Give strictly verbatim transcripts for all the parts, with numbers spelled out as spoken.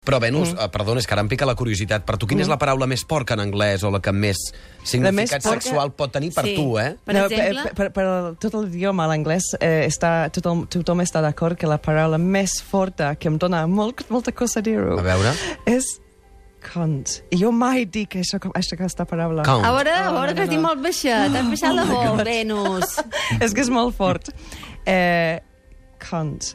Però, Venus, mm. perdona, és que ara em pica la curiositat. Per tu, quina mm. és la paraula més porca en anglès o la que més significat porca... sexual pot tenir per sí. tu, eh? Per no, exemple... Per, per, per tot l'idioma, l'anglès, eh, està, tothom, tothom està d'acord que la paraula més forta, que em dona molt, molta cosa dir-ho, A veure? és cunt. I jo mai dic això, això, aquesta paraula. Cunt. A veure, a Oh, veure, no, que has no, dit no. molt baixet. T'has baixat la veu, Venus. És que és molt fort. Eh, cunt.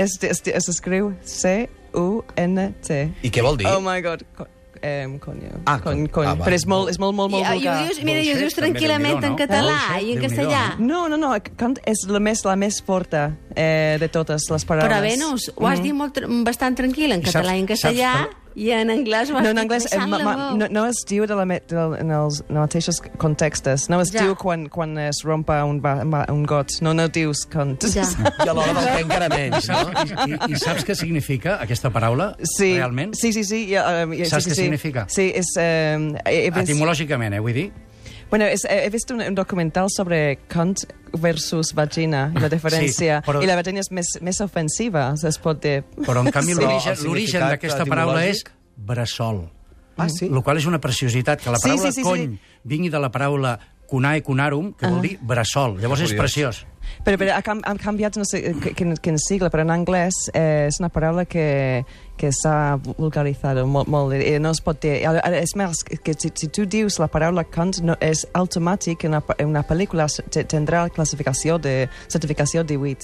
Es, es, es escriu C U N T. I què vol dir? Oh my god. Co eh, conyo. Ah, con, con- con. ah, va. Però és molt, és molt, molt, I, molt i ho vulgar. dius, mira, i ho Bullshit, dius també, tranquil·lament Déu-n'hi-do, en no? català Bullshit, i en Déu-n'hi-do, castellà. No, no, no, cunt és la més, la més forta eh, de totes les paraules. Però, Venus, ho has dit molt, tr- bastant tranquil en I català i en saps- castellà, saps i en anglès ho has No, en dit anglès eh, baixant ma, la ma, veu. no, no es diu de la, me- de, en els no mateixos contextos. No es Ja. diu quan, quan es rompa un, ba, un got. No, no dius cunt. Ja. I a l'hora del què encara menys, no? I, i, I saps què significa aquesta paraula, Sí, realment? sí, sí, sí. Ja, um, ja, Saps sí, què sí, significa? Sí, és... Um, he, he vist, Etimològicament, eh, vull dir? bueno, és, he vist un, un documental sobre cunt versus vagina, i la diferència. Sí, però- I la vagina és més, més ofensiva, es pot dir. Però, en canvi, Sí. l'origen El l'origen significat d'aquesta paraula és etimològic? bressol. Ah, sí? El qual és una preciositat, que la Sí, paraula sí, sí, cony sí. vingui de la paraula cunae cunarum, que vol Ah. dir bressol. Llavors és Curiós. preciós. Però, però ha, cam, ha canviat, no sé quin, quin sigle, però en anglès eh, és una paraula que, que s'ha vulgaritzat molt, molt, i no es pot dir. Ara, ara, és més, que si, si tu dius la paraula cunt, no, és automàtic, en una, en una pel·lícula te- tindrà classificació de certificació divuit.